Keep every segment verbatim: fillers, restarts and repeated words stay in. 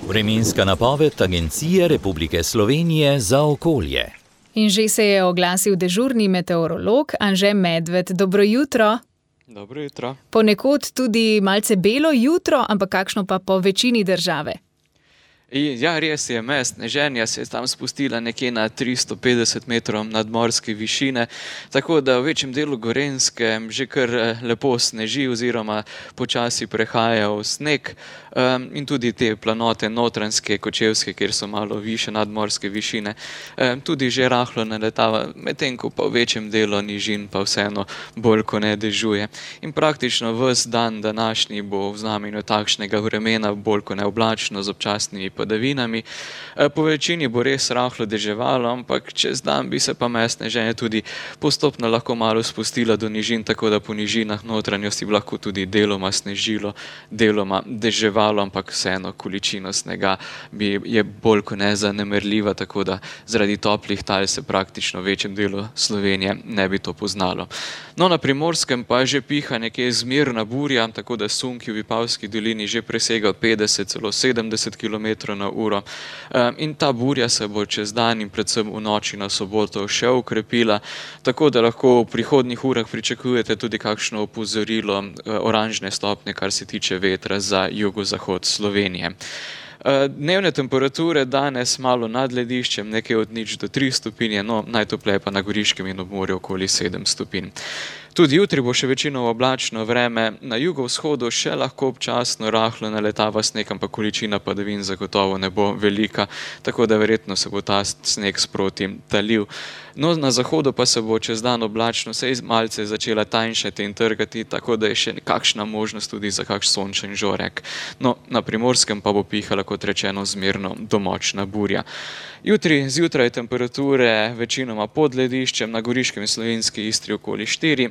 Vremenska napoved Agencije Republike Slovenije za okolje. In že se je oglasil dežurni meteorolog Anže Medved. Dobro jutro. Dobro jutro. Ponekod tudi malce belo jutro, ampak kakšno pa po večini države? Ja, res je, meja sneženja se je tam spustila nekje na tristo petdeset metrov nadmorske višine, tako da v večjem delu Gorenjske že kar lepo sneži oziroma počasi prehaja v sneg, um, in tudi te planote Notranjske, Kočevske, kjer so malo više nadmorske višine, um, tudi že rahlo naletava, medtem ko pa v večjem delu nižin pa vseeno bolj ko ne dežuje. In praktično ves dan današnji bo v znamenju takšnega vremena, bolj ko ne oblačno z občasnimi padavinami. Po večini bo res rahlo deževalo, ampak čez dan bi se pa meja sneženja tudi postopno lahko malo spustila do nižin, tako da po nižinah notranjosti bi lahko tudi deloma snežilo, deloma deževalo, ampak vseeno količina snega bi je bolj kot ne zanemarljiva, tako da zaradi toplih tal se praktično v večjem delu Slovenije ne bi to poznalo. No, na Primorskem pa že piha nekje zmerna burja, tako da sunki v Vipavski dolini že presega petdeset, celo sedemdeset kilometrov na uro. In ta burja se bo čez dan in predvsem v noči na soboto še ukrepila, tako da lahko v prihodnjih urah pričakujete tudi kakšno opozorilo oranžne stopnje, kar se tiče vetra za jugozahod Slovenije. Dnevne temperature danes malo nad lediščem, nekaj od nič do tri stopinje, no najtopleje pa na Goriškem in ob morju okoli sedem stopinj. Tudi jutri bo še večinoma oblačno vreme, na jugovzhodu še lahko občasno rahlo naletava sneg, ampak količina padavin zagotovo ne bo velika, tako da verjetno se bo ta sneg sproti talil. No, na zahodu pa se bo čez dan oblačno sej malce začela tanjšati in trgati, tako da je še nekakšna možnost tudi za kakšen sončen žorek. No, na Primorskem pa bo pihala, kot rečeno, zmerno do močna burja. Jutri zjutraj temperature večinoma pod lediščem, na Goriškem in Slovenski Istri okoli štiri,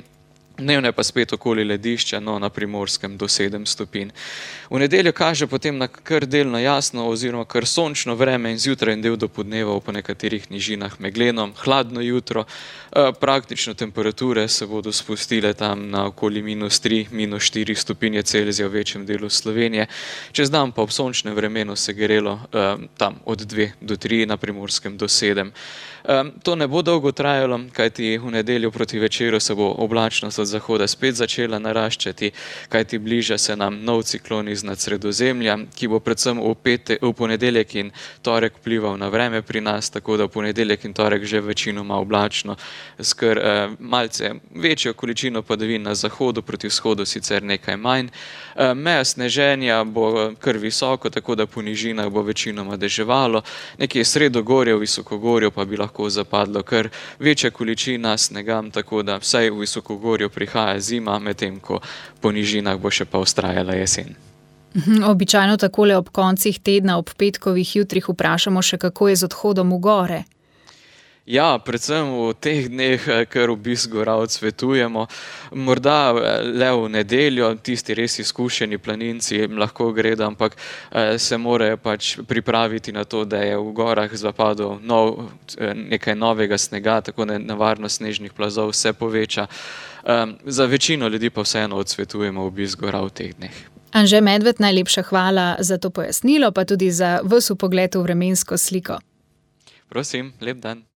dnevne pa spet okoli ledišča, no na Primorskem do sedem stopinj. V nedeljo kaže potem na kar delno jasno oziroma kar sončno vreme in zjutraj in del dopoldneva po nekaterih nižinah megleno, hladno jutro. Praktično temperature se bodo spustile tam na okoli minus tri, minus štiri stopinje Celzija v večjem delu Slovenije. Čez dan pa ob sončnem vremenu se grelo tam od dve do tri, na Primorskem do sedem. To ne bo dolgo trajalo, kajti v nedeljo proti večeru se bo oblačnost od zahoda spet začela naraščati, kajti bliža se nam nov ciklon iznad Sredozemlja, ki bo predvsem v, pete, v ponedeljek in torek vplival na vreme pri nas, tako da v ponedeljek in torek že večinoma oblačno, skr eh, malce večjo količino padavin na zahodu, proti vzhodu sicer nekaj manj. Eh, meja sneženja bo kar visoko, tako da po nižinah bo večinoma deževalo, nekje sredogorje, v visokogorju pa bi lahko zapadlo kar večja količina snega, tako da vsaj v visokogorju prihaja zima, medtem ko po nižinah bo še pa vztrajala jesen. Običajno takole ob koncih tedna, ob petkovih jutrih vprašamo še, kako je z odhodom v gore. Ja, predvsem v teh dneh, kar obisk gora odsvetujemo. Morda le v nedeljo, tisti res izkušeni planinci lahko gredo, ampak se morajo pač pripraviti na to, da je v gorah zapadel nov, nekaj novega snega, tako da nevarnost snežnih plazov se poveča. Za večino ljudi pa vseeno odsvetujemo obisk gora v teh dneh. Anže Medved, najlepša hvala za to pojasnilo, pa tudi za ves vpogled v vremensko sliko. Prosim, lep dan.